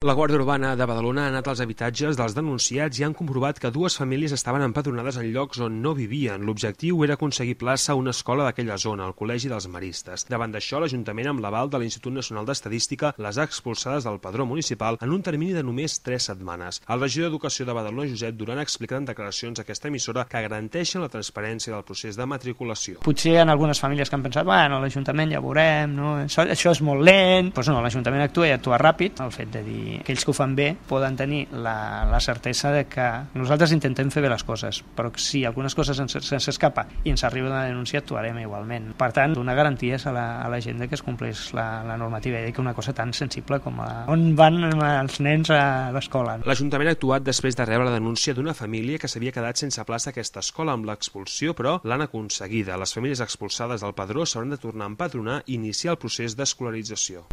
La Guàrdia Urbana de Badalona ha anat als habitatges dels denunciats i han comprovat que dues famílies estaven empadronades en llocs on no vivien. L'objectiu era aconseguir plaça a una escola d'aquella zona, el Col·legi dels Maristes. Davant d'això, l'Ajuntament, amb l'aval de l'Institut Nacional d'Estadística, les ha expulsades del padró municipal en un termini de només 3 setmanes. El regidor d'Educació de Badalona, Josep Duran, ha explicat en declaracions a aquesta emissora que garanteixen la transparència del procés de matriculació. Potser hi ha algunes famílies que han pensat, bueno, l'Ajuntament ja veurem, no? Això és molt lent. Doncs no, l'Ajuntament actua i actua ràpid. El fet de dir que ells que ho fan bé poden tenir la certesa de que nosaltres intentem fer bé les coses, però si algunes coses se'ns escapa i ens arriba una denúncia, actuarem igualment. Per tant, donar garanties a la gent que es compleix la normativa i que una cosa tan sensible com on van els nens a l'escola. L'Ajuntament ha actuat després de rebre la denúncia d'una família que s'havia quedat sense plaça a aquesta escola amb l'expulsió, però l'han aconseguida. Les famílies expulsades del padró s'hauran de tornar a empadronar i iniciar el procés d'escolarització.